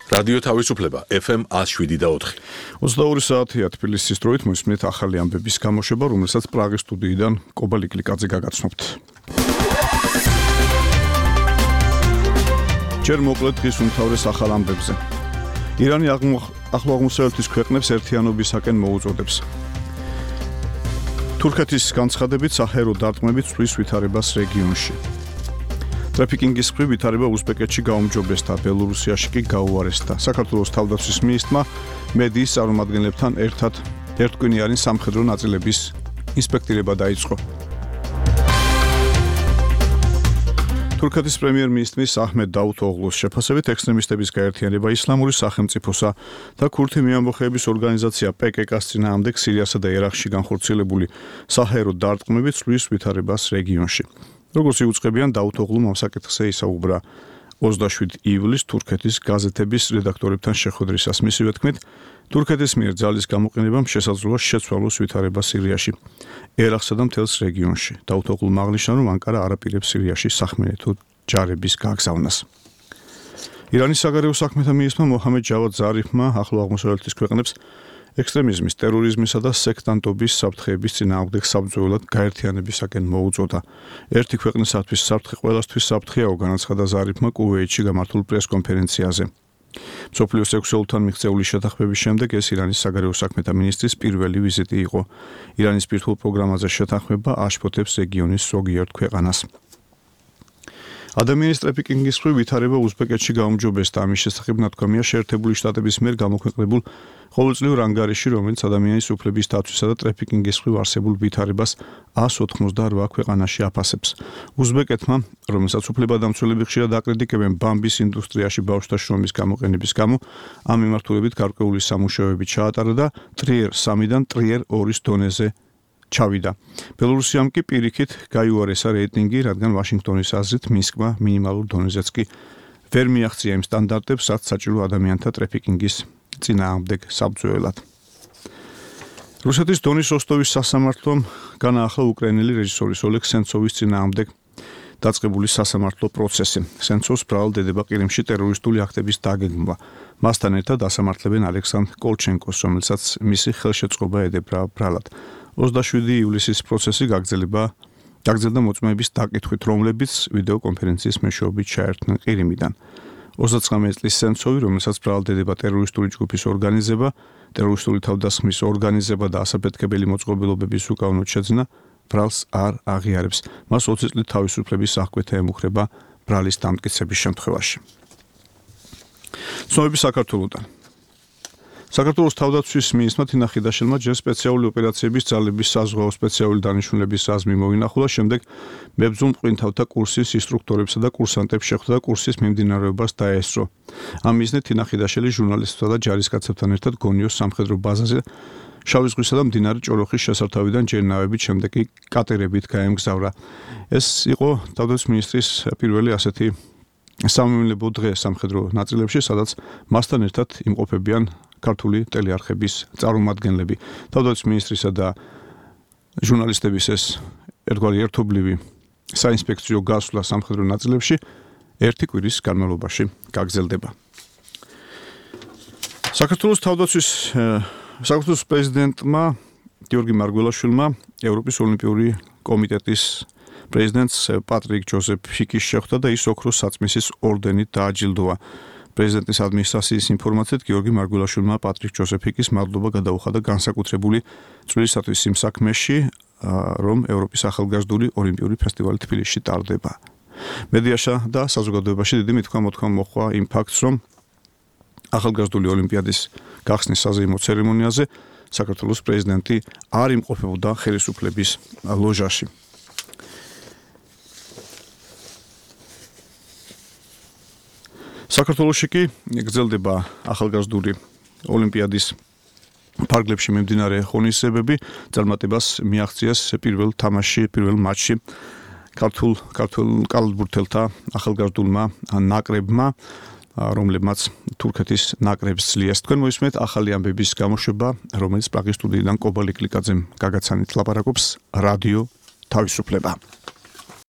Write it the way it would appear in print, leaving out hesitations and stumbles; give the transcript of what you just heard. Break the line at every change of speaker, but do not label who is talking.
რადიო თავისუფლება FM 107.4.
22 საათია თბილისის დროით მოსმენთ ახალი ამბების გამოშვება, რომელსაც პრაღის სტუდიიდან კობა ლიკლიკაძე გაგაცნობთ. ჯერ მოკლედ დღის უმთავრეს ახალ ამბებზე. ირანი ახლო აღმოსავლეთის ქვეყნებს ერთიანობისაკენ მოუწოდებს. თურქეთის განცხადებით საჰერო დარტყმებით ცვლის ვითარებას რეგიონში. ტრაფიკინგის მხრივ ვითარება უზბეკეთში გაუმჯობესდა, ბელორუსიაში კი გაუარესდა. საქართველოს თავდაცვის მინისტრმა მედიის წარმომადგენლებთან ერთად ერთკვინიანი სამხედრო ნაწილების ინსპექტირება დაიწყო. თურქეთის პრემიერ-მინისტრის აჰმედ დაუთოღლუს შეფასებით ექსტრემისტების გაერთიანება ისლამური სახელმწიფოსა და ქურთი მეამბოხეების ორგანიზაცია PKK-ს წინააღმდეგ სირიასა და ერაყში განხორციელებული საჰერო დარტყმებით ცვლის ვითარებას რეგიონში. როგორც იუწყებიან, დაუთოღლუმ ამ საკითხზე ისაუბრა 27 ივლისს თურქეთის გაზეთების რედაქტორებთან შეხვედრისას. მისივე თქმით, თურქეთის მიერ ძალის გამოყენებამ შესაძლოა შეცვალოს ვითარება სირიაში, ერაყსა და მთელს რეგიონში. დაუთოღლუმ აღნიშნა, რომ ანკარა არ აპირებს სირიაში სახმელეთო ჯარების გაგზავნას. ირანის საგარეო საქმეთა მინისტრმა მოჰამედ ჯავად ზარიფმა ახლო აღმოსავლეთის ქვეყნებს ექსტრემიზმის, ტერორიზმისა და სექტანტობის საფრთხეების წინააღმდეგ საბრძოლოდ გაერთიანებისაკენ მოუწოდა. ერთი ქვეყნისათვის საფრთხე ყველასთვის საფრთხეაო, განაცხადა ზარიფმა კუვეითში გამართულ პრეს-კონფერენციაზე. მსოფლიოს სექსუალთან მიღწეული შეთანხმების შემდეგ ეს ირანის საგარეო საქმეთა მინისტრის პირველი ვიზიტი იყო. ირანის პირთულ პროგრამაზე შეთანხმება აშფოთებს რეგიონის ზოგიერთ ქვეყანას. ადამიანის ტრაფიკინგის მხრივ ვითარება უზბეკეთში გაუმჯობესდა. ამის შესახებ ნათქვამია შეერთებული შტატების მიერ გამოქვეყნებულ ყოველწლიურ ანგარიში, რომელიც ადამიანის უფლების დაცვისა და ტრაფიკინგის მხრივ არსებულ ვითარებას 188 ქვეყანაში აფასებს. უზბეკეთმა, რომელსაც უფლებადამცველები ხშირად აკრიტიკებენ ბამბის ინდუსტრიაში ბავშვთა შრომის გამოყენების გამო, ამ მიმართულებით გარკვეული სამუშაოები ჩაატარა და ტრიერ 3-დან ტრიერ 2-ის დონეზე ჩავიდა. ბელორუსიამ კი პირიქით გაიუარესა რეიტინგი, რადგან ვაშინგტონის აზრით მინსკმა მინიმალურ დონეზეც კი ვერ მიაღწია იმ სტანდარტებს, რაც საჭირო ადამიანთა ტრაფიკინგის წინააღმდეგ საბრძოლველად. რუსეთის დონის როსტოვის სასამართლომ განაახლა უკრაინელი რეჟისორის ოლეგ სენცოვის წინააღმდეგ დაწყებული სასამართლო პროცესი. სენცოვს ბრალდება ყირიმში ტერორისტული აქტების დაგეგმვა. მასთან ერთად ასამართლებენ ალექსანდრ კოლჩენკოს, რომელსაც მისი ხელშეწყობა ედებრა ბრალად. 27 ივლისის პროცესი გაგრძელდა მოწმეების დაკითხვით, რომლებიც ვიდეო კონფერენციის მეშვეობით ჩაერთნენ ყირიმიდან. 29 წლის სენცოვი, რომელსაც ბრალდება ტერორისტული ჯგუფის ორგანიზება, ტერორისტული თავდასხმის ორგანიზება და ასაფეთქებელი მოწყობილობების უკანონოდ შეძენა, ბრალს არ აღიარებს. მას 20 წლით თავისუფლების აღკვეთა ემუქრება ბრალის დამტკიცების შემთხვევაში. ცნობები საქართველოდან. საქართველოს თავდაცვის მინისტრმა თინა ხიდაშელმა ჯერ სპეციალური ოპერაციების ძალების საზღვაო სპეციალური დანიშნულების რაზმი მოინახულა, შემდეგ მებრძოლ მყინთავთა კურსის ინსტრუქტორებსა და კურსანტებს შეხვდა და კურსის მიმდინარეობას დაესწრო. ამ მიზნით თინა ხიდაშელი ჟურნალისტებსა და ჯარისკაცებთან ერთად გონიოს სამხედრო ბაზაზე შავი ზღვისა და მდინარე ჭოროხის შესართავიდან ჯერნავებით, შემდეგ კი კატერებით გაემგზავრა. ეს იყო თავდაცვის მინისტრის პირველი ასეთი სამომავლო დღე სამხედრო ნაწილებში, სადაც მასთან ერთად იმყოფებიან ქართული ტელეარხების წარმომადგენლები. თავდაცვის მინისტრისა და ჟურნალისტების ეს ერთგვარი ერთობლივი საინსპექციო გასვლა სამხედრო ნაწილებში ერთი კვირის განმავლობაში გაგრძელდება. საქართველოს პრეზიდენტმა გიორგი მარგველაშვილმა ევროპის ოლიმპიური კომიტეტის პრეზიდენტს პატრიკ ჯოზეფ ფიკის შეხვდა და ის ოქროს საწმისის ორდენით დააჯილდოვა. პრეზიდენტის ადმინისტრაციის ინფორმაციით გიორგი მარგველაშვილმა პატრიკ ჯოზეფ ფიკის მადლობა გადაუხადა განსაკუთრებული წვლილისათვის იმ საქმეში, რომ ევროპის ახალგაზრდული ოლიმპიური ფესტივალი თბილისში ტარდება. მედიაში და საზოგადოებაში დიდი მithქვა-მოთქვა მოჰყვა იმ ფაქტს, რომ ახალგაზრდული ოლიმპიადის გახსნის საზეიმო ცერემონიაზე საქართველოს პრეზიდენტი არ იმყოფებოდა ხელისუფლების ლოჟაში. საქართველოში კი გრძელდება ახალგაზრდული ოლიმპიადის ფარგლებში მიმდინარე ღონისძიებები. წარმატებას მიაღწიეს პირველ მატჩში ქართულ კალათბურთელთა ახალგაზრდულმა ნაკრებმა, რომლებმაც თურქეთის ნაკრებს ძლიერს. თქვენ მოისმენთ ახალი ამბების გამოშვება, რომელიც პრაღის სტუდიიდან კობა ლიკლიკაძემ გაგაცანით ლაპარაკობს რადიო თავისუფლება.